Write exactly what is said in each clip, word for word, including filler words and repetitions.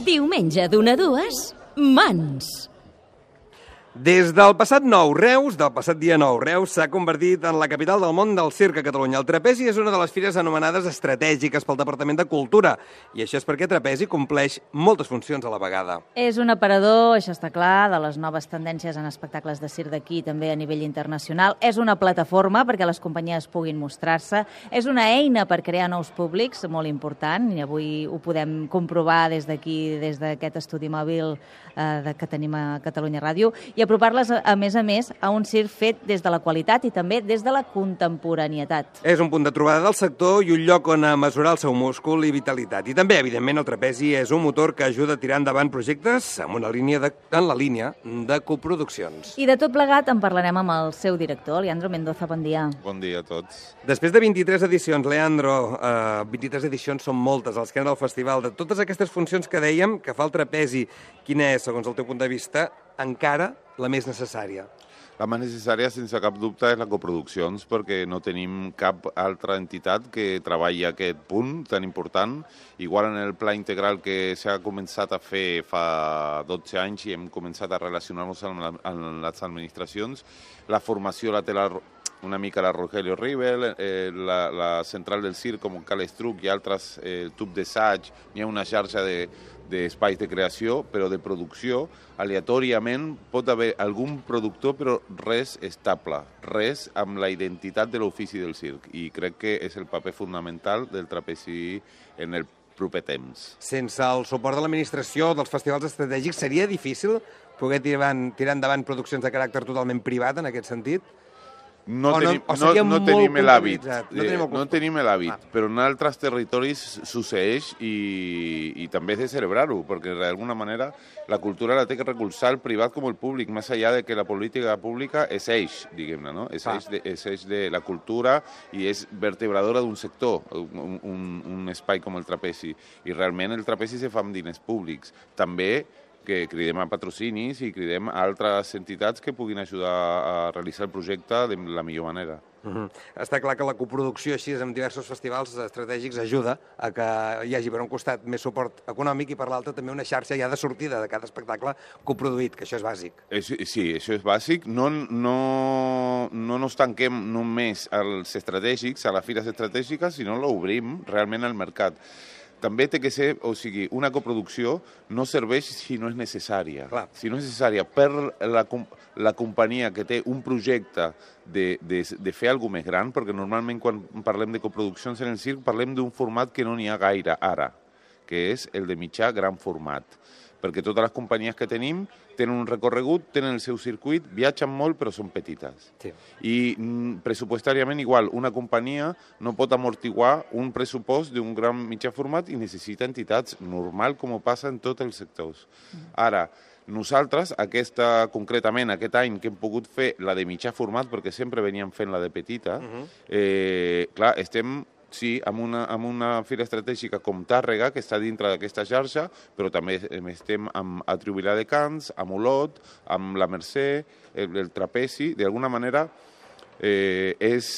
Diumenge d'una a dues, Mans. Des del passat nou, Reus, del passat dia nou, Reus s'ha convertit en la capital del món del circ a Catalunya. El Trapezi és una de les fires anomenades estratègiques pel Departament de Cultura, i això és perquè Trapezi compleix moltes funcions a la vegada. És un aparador, això està clar, de les noves tendències en espectacles de circ d'aquí i també a nivell internacional. És una plataforma perquè les companyies puguin mostrar-se. És una eina per crear nous públics, molt important, i avui ho podem comprovar des d'aquí, des d'aquest estudi mòbil eh, que tenim a Catalunya Ràdio, i apropar-les, a més a més, a un circ fet des de la qualitat i també des de la contemporaneitat. És un punt de trobada del sector i un lloc on mesurar el seu múscul i vitalitat. I també, evidentment, el Trapezi és un motor que ajuda a tirar endavant projectes en, una línia de, en la línia de coproduccions. I de tot plegat en parlarem amb el seu director, Leandro Mendoza. Bon dia. Bon dia a tots. Després de vint-i-tres edicions, Leandro, eh, vint-i-tres edicions són moltes, els que han del festival. De totes aquestes funcions que dèiem, que fa el Trapezi, quina és, segons el teu punt de vista, encara la més necessària? La més necessària, sense cap dubte, és la coproduccions, perquè no tenim cap altra entitat que treballi aquest punt tan important. Igual en el pla integral que s'ha començat a fer fa dotze anys i hem començat a relacionar-nos amb les administracions, la formació la té la, una mica la Rogelio Rivel, eh, la, la central del circ com Cal Estruc i altres eh, tub d'assaig, hi ha una xarxa de d'espais de creació, però de producció, aleatòriament pot haver algun productor, però res estable, res amb la identitat de l'ofici del circ. I crec que és el paper fonamental del Trapezi en el proper temps. Sense el suport de l'administració, dels festivals estratègics, seria difícil poder tirar, tirar endavant produccions de caràcter totalment privat, en aquest sentit? No, o tenim, no, no, no tenim l'hàbit, no tenim, no tenim l'hàbit, ah. però en altres territoris succeeix i, i també és de celebrar-ho, perquè d'alguna manera la cultura la té que recolzar el privat com el públic, més enllà de que la política pública és eix, diguem-ne, no? És, ah. eix de, és eix de la cultura i és vertebradora d'un sector, un, un, un espai com el Trapezi, i realment el Trapezi se fa amb diners públics. També que cridem a patrocinis i cridem a altres entitats que puguin ajudar a realitzar el projecte de la millor manera. Uh-huh. Està clar que la coproducció així amb diversos festivals estratègics ajuda a que hi hagi per un costat més suport econòmic i per l'altre també una xarxa ja de sortida de cada espectacle coproduït, que això és bàsic. És, sí, això és bàsic. No, no, no nos tanquem només als estratègics, a les fires estratègiques, sinó l'obrim realment al mercat. També té que ser, o sigui, una coproducció no serveix si no és necessària. Clar. Si no és necessària per la, la companyia que té un projecte de, de, de fer alguna més gran, perquè normalment quan parlem de coproduccions en el circ parlem d'un format que no n'hi ha gaire ara, que és el de mitjà gran format. Perquè totes les companyies que tenim tenen un recorregut, tenen el seu circuit, viatgen molt però són petites. Sí. I mm, pressupostàriament igual, una companyia no pot amortiguar un pressupost d'un gran mitjà format i necessita entitats normal com ho passa en tots els sectors. Ara, nosaltres, aquesta, concretament aquest any que hem pogut fer la de mitjà format, perquè sempre veníem fent la de petita, uh-huh. eh, clar, estem... Sí, amb una, amb una fira estratègica com Tàrrega, que està dintre d'aquesta xarxa, però també estem amb Atribuilà de Cans, amb Olot, amb la Mercè, el, el Trapezi. D'alguna manera, eh, és,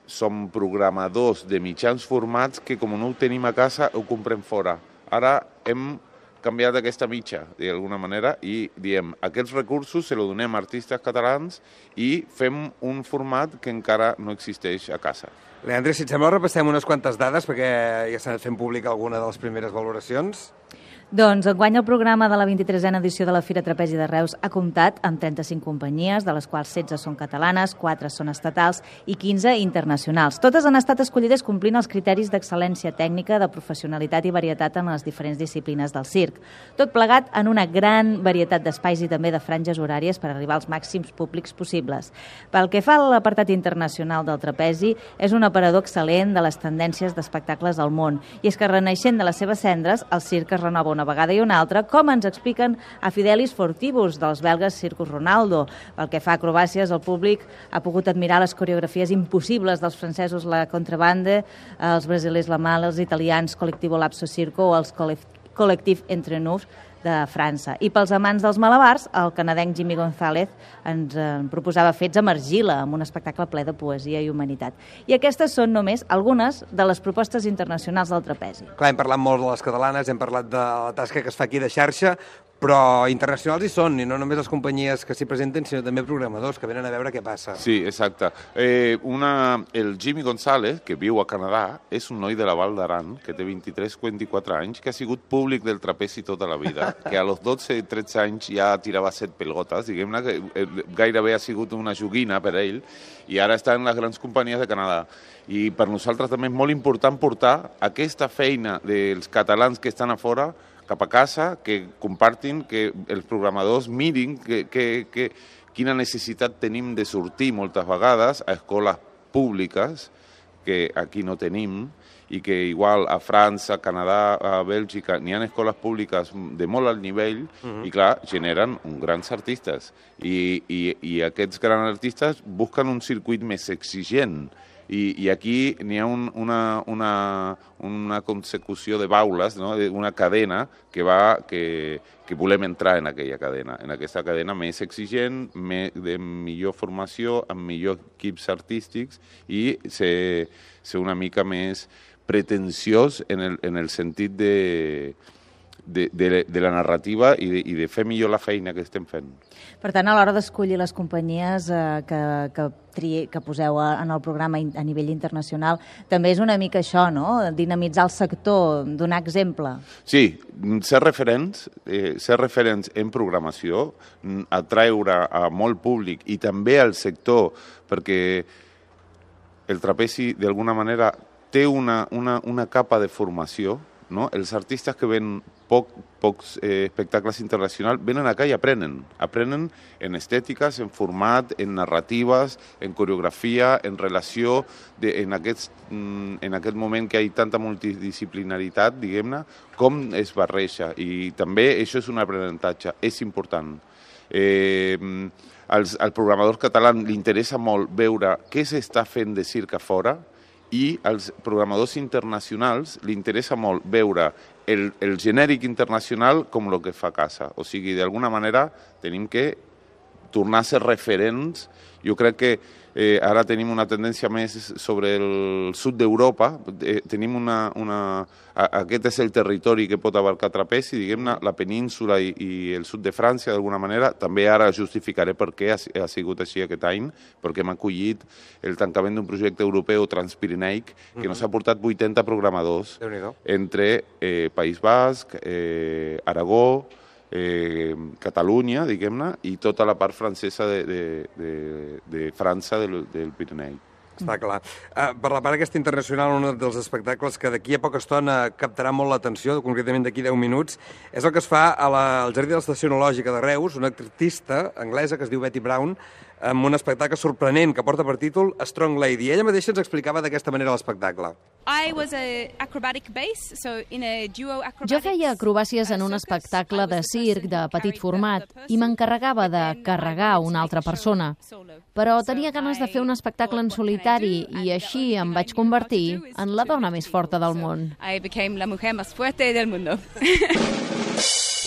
som programadors de mitjans formats que, com no ho tenim a casa, ho comprem fora. Ara hem canviat aquesta mitja, d'alguna manera, i diem, aquests recursos se lo donem a artistes catalans i fem un format que encara no existeix a casa. Leandre, si et sembla, repassem unes quantes dades, perquè ja s'ha fet pública alguna de les primeres valoracions. Doncs enguany el programa de la vint-i-tresena edició de la Fira Trapezi de Reus ha comptat amb trenta-cinc companyies, de les quals setze són catalanes, quatre són estatals i quinze internacionals. Totes han estat escollides complint els criteris d'excel·lència tècnica, de professionalitat i varietat en les diferents disciplines del circ. Tot plegat en una gran varietat d'espais i també de franges horàries per arribar als màxims públics possibles. Pel que fa a l'apartat internacional del Trapezi, és un aparador excel·lent de les tendències d'espectacles al món. I és que reneixent de les seves cendres, el circ es renova una vegada i una altra, com ens expliquen a Fidelis Fortibus, dels belgues Circus Ronaldo. Pel que fa a acrobàcies, el públic ha pogut admirar les coreografies impossibles dels francesos La Contrabande, els brasilers La Mala, els italians Colectivo Lapso Circo o els Collectif Entre Nous de França. I pels amants dels malabars, el canadenc Jimmy González ens eh, proposava fets amb argila, amb un espectacle ple de poesia i humanitat. I aquestes són només algunes de les propostes internacionals del trapezi. Clar, hem parlat molt de les catalanes, hem parlat de la tasca que es fa aquí de xarxa, però internacionals hi són, i no només les companyies que s'hi presenten, sinó també programadors que venen a veure què passa. Sí, exacte. Eh, una, el Jimmy González, que viu a Canadà, és un noi de la Val d'Aran, que té vint-i-tres o vint-i-quatre anys, que ha sigut públic del trapezi tota la vida, que a los dotze o tretze anys ja tirava set pelgotes, diguem-ne que gairebé ha sigut una joguina per a ell, i ara està en les grans companyies de Canadà. I per nosaltres també és molt important portar aquesta feina dels catalans que estan a fora cap a casa, que compartin, que els programadors mirin que, que, que, quina necessitat tenim de sortir moltes vegades a escoles públiques, que aquí no tenim, i que igual a França, Canadà, a Bèlgica, n'hi ha escoles públiques de molt alt nivell, uh-huh. i clar, generen uns grans artistes. I, i, i aquests grans artistes busquen un circuit més exigent. I, i aquí n'hi ha un, una, una, una consecució de baules, no? Una cadena que, va, que, que volem entrar en aquella cadena, en aquesta cadena més exigent, més, de millor formació, amb millors equips artístics i ser, ser una mica més pretensiós en el, en el sentit de, de, de, de la narrativa i de, i de fer millor la feina que estem fent. Per tant, a l'hora d'escollir les companyies eh, que, que, tri, que poseu en el programa a nivell internacional, també és una mica això, no? Dinamitzar el sector, donar exemple. Sí, ser referents, eh, ser referents en programació, atraure a molt públic i també al sector, perquè el trapezi, d'alguna manera, té una, una, una capa de formació, no? Els artistes que ven poc, pocs eh, espectacles internacionals venen acá i aprenen. Aprenen en estètiques, en format, en narratives, en coreografia, en relació, de, en, aquest, en aquest moment que hi ha tanta multidisciplinaritat, diguem-ne, com es barreja. I també això és un aprenentatge, és important. Eh, als, al programador català li interessa molt veure què s'està fent de circ a fora, i als programadors internacionals li interessa molt veure el, el genèric internacional com el que fa a casa. O sigui, d'alguna manera tenim que tornar a ser referents. Jo crec que eh, ara tenim una tendència més sobre el sud d'Europa. Eh, tenim una, una... Aquest és el territori que pot abarcar trapezi, diguem-ne, la península i, i el sud de França, d'alguna manera. També ara justificaré per què ha, ha sigut així aquest any, perquè hem acollit el tancament d'un projecte europeu transpirineic que mm-hmm. nos ha portat vuitanta programadors entre eh, País Basc, eh, Aragó, Eh, Catalunya, diguem-ne, i tota la part francesa de, de, de, de França del, del Pirineu. Està clar. Uh, per la part aquesta internacional, un dels espectacles que d'aquí a poca estona captarà molt l'atenció, concretament d'aquí deu minuts, és el que es fa a la, al Jardí de l'Estació Enològica de Reus, una artista anglesa que es diu Betty Brown, amb un espectacle sorprenent que porta per títol Strong Lady. Ella mateixa ens explicava d'aquesta manera l'espectacle. Jo feia acrobàcies en un espectacle de circ de petit format i m'encarregava de carregar una altra persona. Però tenia ganes de fer un espectacle en solitari i així em vaig convertir en la dona més forta del món.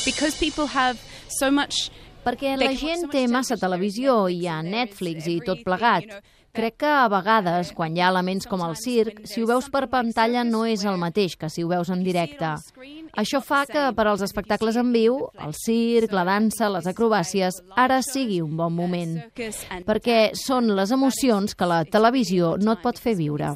Because people have so much... Perquè la gent té massa televisió, hi ha Netflix i tot plegat. Crec que a vegades, quan hi ha elements com el circ, si ho veus per pantalla no és el mateix que si ho veus en directe. Això fa que per als espectacles en viu, el circ, la dansa, les acrobàcies, ara sigui un bon moment. Perquè són les emocions que la televisió no et pot fer viure.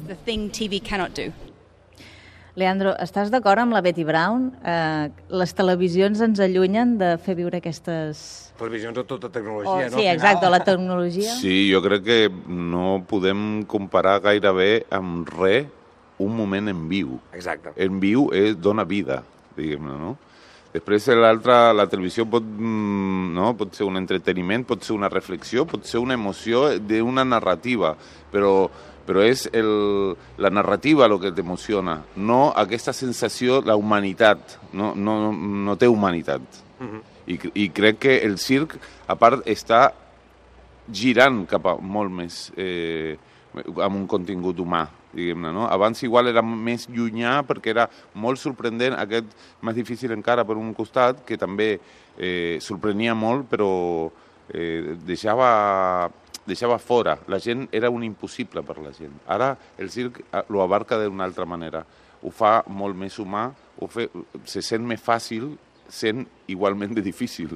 Leandro, estàs d'acord amb la Betty Brown? Eh, les televisions ens allunyen de fer viure aquestes... Televisions o tota tecnologia, oh, no? Sí, exacte, la tecnologia. Sí, jo crec que no podem comparar gairebé amb res un moment en viu. Exacte. En viu és, dona vida, diguem-ne, no? Després l'altra, la televisió pot, no? Pot ser un entreteniment, pot ser una reflexió, pot ser una emoció d'una narrativa, però... però és el, la narrativa el que t'emociona, no aquesta sensació, la humanitat, no, no, no té humanitat. Uh-huh. I, I crec que el circ, a part, està girant cap a molt més, eh, amb un contingut humà. diguem-ne, no? Abans igual era més llunyà perquè era molt sorprendent, aquest més difícil encara per un costat, que també eh, sorprenia molt, però eh, deixava, deixava fora. La gent era un impossible per la gent. Ara el circ lo abarca d'una altra manera. Ho fa molt més humà, ho fe, se sent més fàcil, sent igualment de difícil,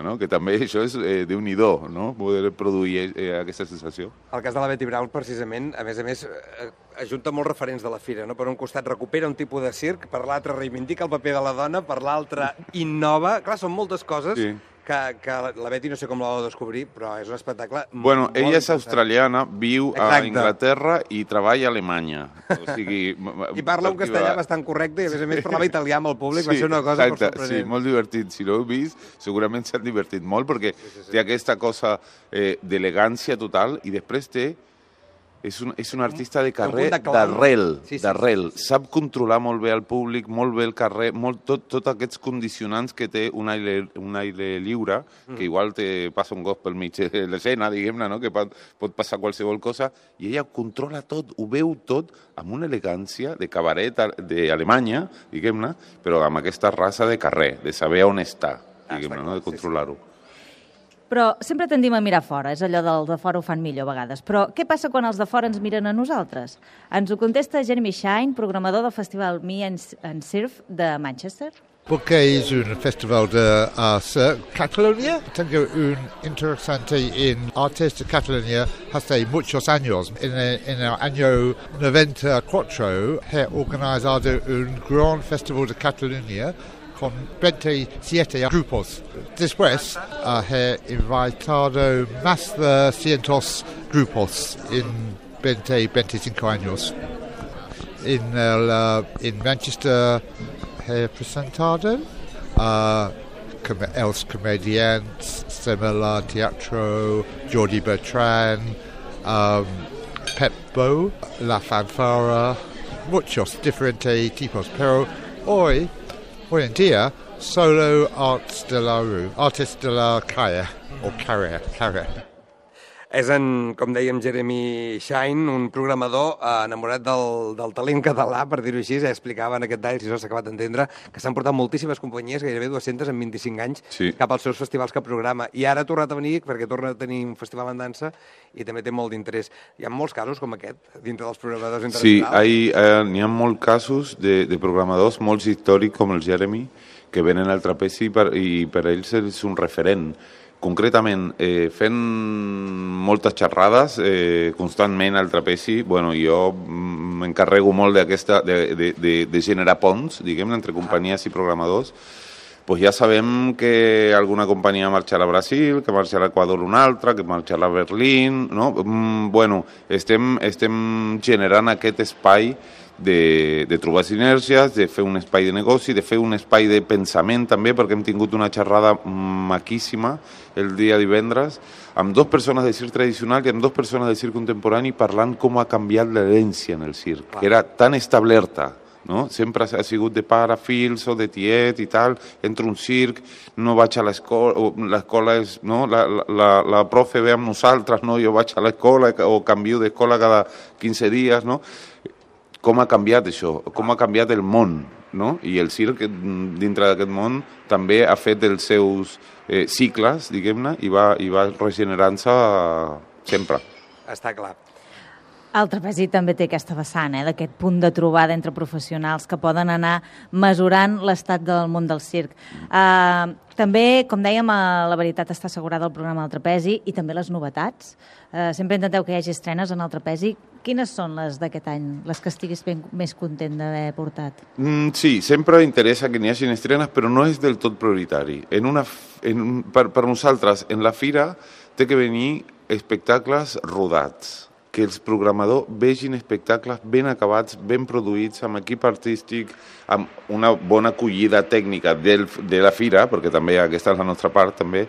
no? Que també això és eh, déu-n'hi-do, no? Poder produir eh, aquesta sensació. El cas de la Betty Brown, precisament, a més a més, eh, ajunta molts referents de la fira, no? Per un costat recupera un tipus de circ, per l'altre reivindica el paper de la dona, per l'altre innova. Clar, són moltes coses sí. que, que la Betty no sé com la va descobrir, però és un espectacle bueno, molt ella és important. Australiana, viu Exacte. a Anglaterra i treballa a Alemanya. O sigui, I parla un castellà bastant correcte i, a més a més, parlava italià amb el públic, sí, va ser una cosa exacte, molt sorprenent. Sí, molt divertit. Si l'heu vist, segurament s'han divertit molt, perquè sí, sí, sí. té aquesta cosa eh, d'elegància total i després té És un, és un artista de carrer d'arrel, sí, sí, d'arrel. Sí, sí. Sap controlar molt bé el públic, molt bé el carrer, molt, tot, tot aquests condicionants que té un aire, un aire lliure, mm. que igual te passa un gos pel mig de l'escena, diguem-ne, no? Que pot, pot passar qualsevol cosa, i ella controla tot, ho veu tot amb una elegància de cabaret d'Alemanya, diguem-ne, però amb aquesta raça de carrer, de saber on està, diguem-ne, no? De controlar-ho. Sí, sí. Però sempre tendim a mirar fora, és allò del de fora ho fan millor a vegades. Però què passa quan els de fora ens miren a nosaltres? Ens ho contesta Jeremy Shine, programador del festival Me and Surf de Manchester. Porque es un festival de uh, surf Cataluña. Tengo un interesante en artes de Cataluña hace muchos años. En el, en el año noventa y cuatro he organizado un gran festival de Cataluña con veintisiete grupos. Después uh, he invitado más de cientos grupos en veinte, veinticinco años. En, el, uh, en Manchester he presentado uh, com Els Comediants, Semela Teatro, Jordi Bertran, um, Pep Bo, La Fanfara, muchos diferentes tipos, pero hoy Hoy en día, solo arts de la rue, artists de la calle, o carrer, carrer. És, en, com dèiem, Jeremy Shine, un programador eh, enamorat del, del talent català, per dir-ho així. Ja explicava en aquest tall, si no s'ha acabat d'entendre, que s'han portat moltíssimes companyies, gairebé dues-centes en vint-i-cinc anys, sí. cap als seus festivals que programa. I ara ha tornat a venir perquè torna a tenir un festival en dansa i també té molt d'interès. Hi ha molts casos com aquest, dintre dels programadors internacionals? Sí, eh, n'hi ha molts casos de, de programadors, molts històrics com el Jeremy, que venen al trapezi per, i per ells és un referent. Concretament, eh, fent moltes xerrades eh, constantment al trapezi, bueno, jo m'encarrego molt d'aquesta, de, de, de, de generar ponts, diguem, entre companyies i programadors. Pues ja sabem que alguna companyia marxarà a Brasil, que marxarà a l'Equador una altra, que marxarà a Berlín, no? Mm, bueno, estem, estem generant aquest espai de, de trobar sinergies, de fer un espai de negoci, de fer un espai de pensament també, perquè hem tingut una xerrada maquíssima el dia divendres amb dues persones de circ tradicional i amb dues persones de circ contemporani parlant com ha canviat l'herència en el circ, que era tan establerta, no? Sempre ha sigut de pare, fills o de tiet i tal, entro un circ, no vaig a l'escola, l'escola és, no? La, la, la profe ve amb nosaltres, no? Jo vaig a l'escola o canvio d'escola cada quinze dies, no? Com ha canviat això, com ha canviat el món, no? I el circ, dintre d'aquest món, també ha fet els seus eh, cicles, diguem-ne, i va, i va regenerant-se sempre. Està clar. El trapezi també té aquesta vessant, eh, d'aquest punt de trobada entre professionals que poden anar mesurant l'estat del món del circ. Uh, també, com dèiem, uh, la veritat està assegurada al programa del trapezi i també les novetats. Uh, sempre intenteu que hi hagi estrenes en el trapezi. Quines són les d'aquest any, les que estiguis ben, més content d'haver portat? Mm, sí, sempre interessa que n'hi hagi estrenes, però no és del tot prioritari. En una, en, per, per nosaltres, en la fira, té que venir espectacles rodats, que els programadors vegin espectacles ben acabats, ben produïts, amb equip artístic, amb una bona acollida tècnica del, de la fira, perquè també aquesta és la nostra part, també.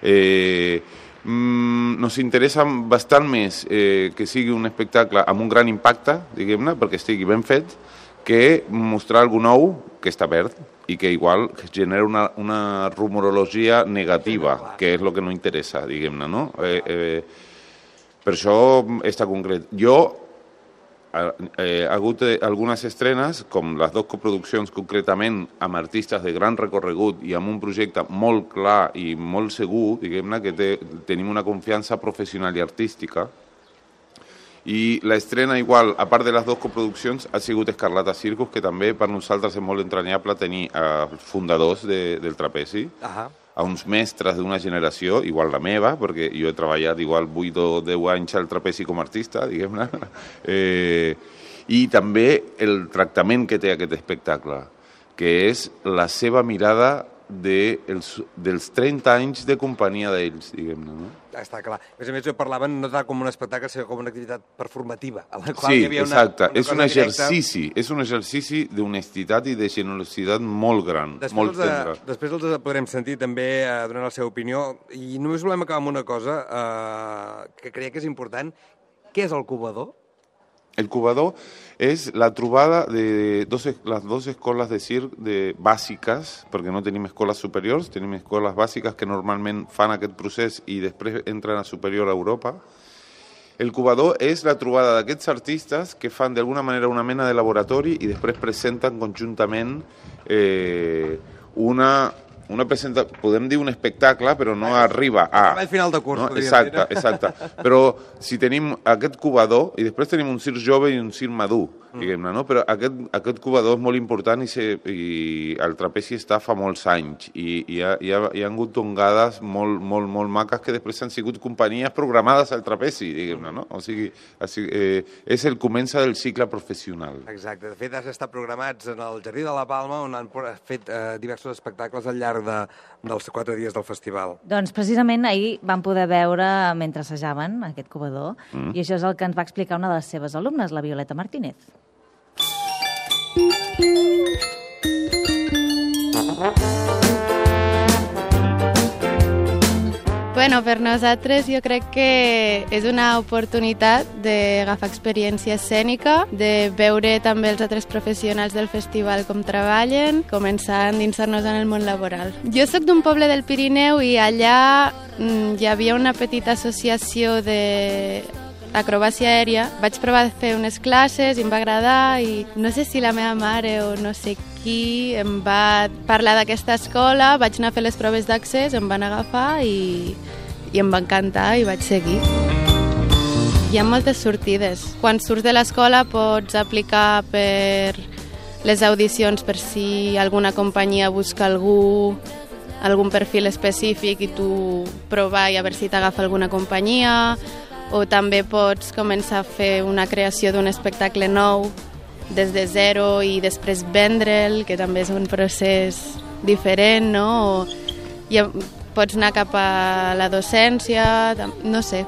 Eh, mm, nos interessa bastant més eh, que sigui un espectacle amb un gran impacte, diguem-ne, perquè estigui ben fet, que mostrar alguna nou que està verd i que igual genera una, una rumorologia negativa, que és el que no interessa, diguem-ne, no? Eh, eh, Per això està concret. Jo ha, eh, ha hagut eh, algunes estrenes, com les dues coproduccions concretament amb artistes de gran recorregut i amb un projecte molt clar i molt segur, diguem-ne, que té, tenim una confiança professional i artística. I l'estrena igual, a part de les dues coproduccions, ha sigut Escarlata Circus, que també per nosaltres és molt entranyable tenir els fundadors de, del trapezi, uh-huh. a uns mestres d'una generació, igual la meva, perquè jo he treballat igual vuit o deu anys al trapezi com a artista, diguem-ne, eh, i també el tractament que té aquest espectacle, que és la seva mirada de els, dels trenta anys de companyia d'ells, diguem-ne, no? Està clar. A més a més, jo parlava no tant com un espectacle, sinó com una activitat performativa, a la qual sí, hi havia una, exacte. una és un exercici, directa. És un exercici d'honestitat i de generositat molt gran, després molt tendre. De, després els podrem sentir també eh, donant la seva opinió, i només volem acabar amb una cosa eh, que creia que és important. Què és el cubador? El cubador és la trobada de dos, les dues escoles de circ de, bàsiques, perquè no tenim escoles superiors, tenim escoles bàsiques que normalment fan aquest procés i després entren a superior a Europa. El cubador és la trobada d'aquests artistes que fan d'alguna manera una mena de laboratori i després presenten conjuntament eh, una... Una presenta... Podem dir un espectacle, però no arriba a... Al final de curs, no? podria Exacte, dir. exacte. Però si tenim aquest cubador, i després tenim un circ jove i un circ madur, diguem-ne, no? Però aquest, aquest cubador és molt important i, se, i el trapezi està fa molts anys i, i, ha, i, ha, hi ha hagut tongades molt, molt, molt maques que després han sigut companyies programades al trapezi, diguem-ne, no? O sigui, eh, és el comença del cicle professional. Exacte. De fet, has estat programats en el Jardí de la Palma, on han fet eh, diversos espectacles al llarg de, dels quatre dies del festival. Doncs precisament ahir vam poder veure, mentre assajaven aquest cubador, mm. i això és el que ens va explicar una de les seves alumnes, la Violeta Martínez. Bueno, per nosaltres jo crec que és una oportunitat d'agafar experiència escènica, de veure també els altres professionals del festival com treballen, començar a endinsar-nos en el món laboral. Jo sóc d'un poble del Pirineu i allà mm, hi havia una petita associació de acrobàcia aèria. Vaig provar de fer unes classes i em va agradar i no sé si la meva mare o no sé qui em va parlar d'aquesta escola, vaig anar a fer les proves d'accés, em van agafar i, i em va encantar i vaig seguir. Hi ha moltes sortides. Quan surts de l'escola pots aplicar per les audicions per si alguna companyia busca algú, algun perfil específic i tu provar i a veure si t'agafa alguna companyia, o també pots començar a fer una creació d'un espectacle nou des de zero i després vendre'l, que també és un procés diferent, no? O ja pots anar cap a la docència, no sé.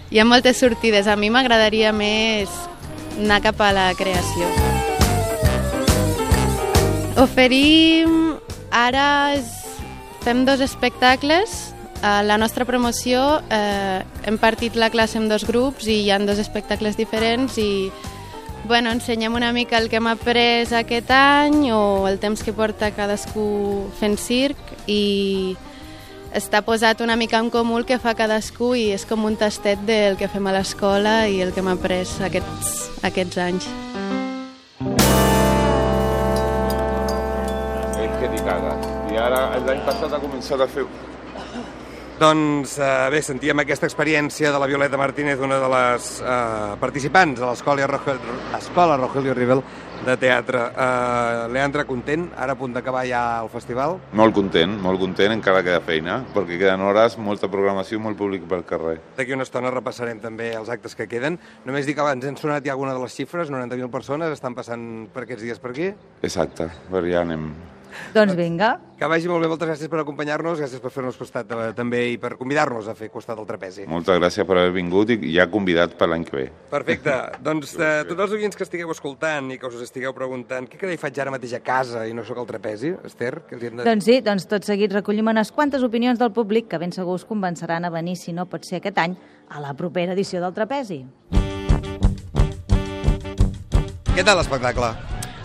Hi ha moltes sortides. A mi m'agradaria més anar cap a la creació. Oferim, ara fem dos espectacles. A la nostra promoció eh, hem partit la classe en dos grups i hi ha dos espectacles diferents i bueno, ensenyem una mica el que hem après aquest any o el temps que porta cadascú fent circ i està posat una mica en comú el que fa cadascú i és com un tastet del que fem a l'escola i el que hem après aquests, aquests anys. És que t'hi cagues. I ara l'any passat ha començat a fer... Doncs eh, bé, sentíem aquesta experiència de la Violeta Martínez, una de les eh, participants a l'Escola Rogelio, Escola Rogelio Rivel de teatre. Eh, Leandre, content? Ara a punt d'acabar ja el festival? Molt content, molt content, encara queda feina, perquè queden hores, molta programació, molt públic pel carrer. D'aquí una estona repassarem també els actes que queden. Només dic que abans hem sonat ja alguna de les xifres, noranta mil persones estan passant per aquests dies per aquí. Exacte, per ja anem... Doncs vinga. Que vagi molt bé, moltes gràcies per acompanyar-nos, gràcies per fer-nos costat eh, també i per convidar-nos a fer costat del trapezi. Moltes gràcies per haver vingut i ja convidat per l'any que ve. Perfecte. Doncs eh, tots els oients que estigueu escoltant i que us estigueu preguntant què carai faig ara mateix a casa i no sóc al trapezi, Esther? Que els hem de... Doncs sí, doncs tot seguit recollim unes quantes opinions del públic que ben segur us convenceran a venir, si no pot ser aquest any, a la propera edició del trapezi. Què tal l'espectacle?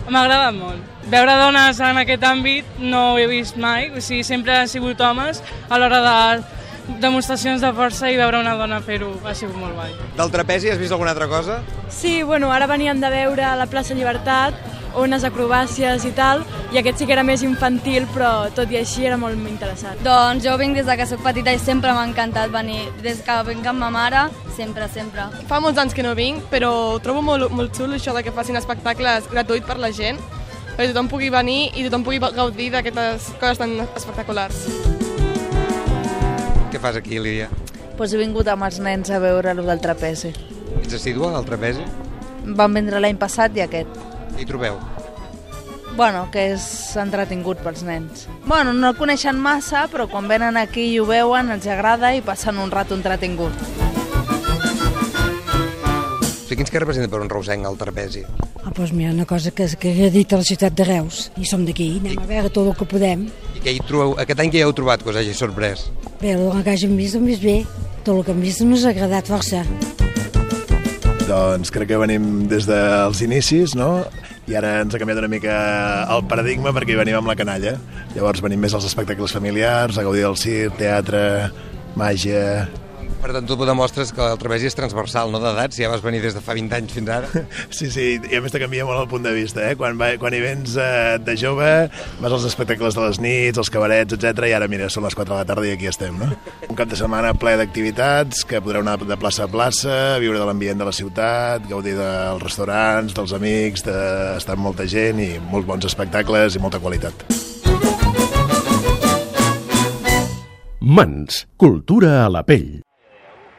M'ha agradat molt. Veure dones en aquest àmbit no ho he vist mai, o sigui, sempre han sigut homes a l'hora de demostracions de força i veure una dona fer-ho ha sigut molt guai. Del trapezi has vist alguna altra cosa? Sí, bueno, ara veníem de veure la plaça Llibertat, unes acrobàcies i tal, i aquest sí que era més infantil, però tot i així era molt interessant. Doncs jo vinc des que soc petita i sempre m'ha encantat venir. Des que vinc amb ma mare, sempre, sempre. Fa molts anys que no vinc, però trobo molt, molt xulo això de que facin espectacles gratuïts per la gent, perquè tothom pugui venir i tothom pugui gaudir d'aquestes coses tan espectaculars. Què fas aquí, Lídia? Pues he vingut amb els nens a veure el del trapezi. Ets assídua al trapezi? Vam vindre l'any passat i aquest. Què hi trobeu? Bueno, que és entretingut pels nens. Bueno, no el coneixen massa, però quan venen aquí i ho veuen, els agrada i passen un rato entretingut. O sigui, quins que representa per un reusenc el trapezi? Ah, doncs mira, una cosa que, que he dit a la ciutat de Reus, i som d'aquí, anem I... a veure tot el que podem. I què hi trobeu? Aquest any què hi heu trobat que us hagi sorprès? Bé, el que hàgim vist, hem vist bé. Tot el que hem vist ens ha agradat força. Doncs crec que venim des dels inicis, no? I ara ens ha canviat una mica el paradigma perquè hi venim amb la canalla. Llavors venim més als espectacles familiars, a gaudir del circ, teatre, màgia... Per tant, tu demostres que el trapezi és transversal, no d'edat, si ja vas venir des de fa vint anys fins ara. Sí, sí, i a més te canvia molt el punt de vista, eh? Quan, va, quan hi vens eh, de jove, vas als espectacles de les nits, als cabarets, etcètera, i ara, mira, són les quatre de la tarda i aquí estem, no? Un cap de setmana ple d'activitats, que podreu anar de plaça a plaça, viure de l'ambient de la ciutat, gaudir dels restaurants, dels amics, d'estar amb molta gent i molts bons espectacles i molta qualitat. Mans, cultura a la pell.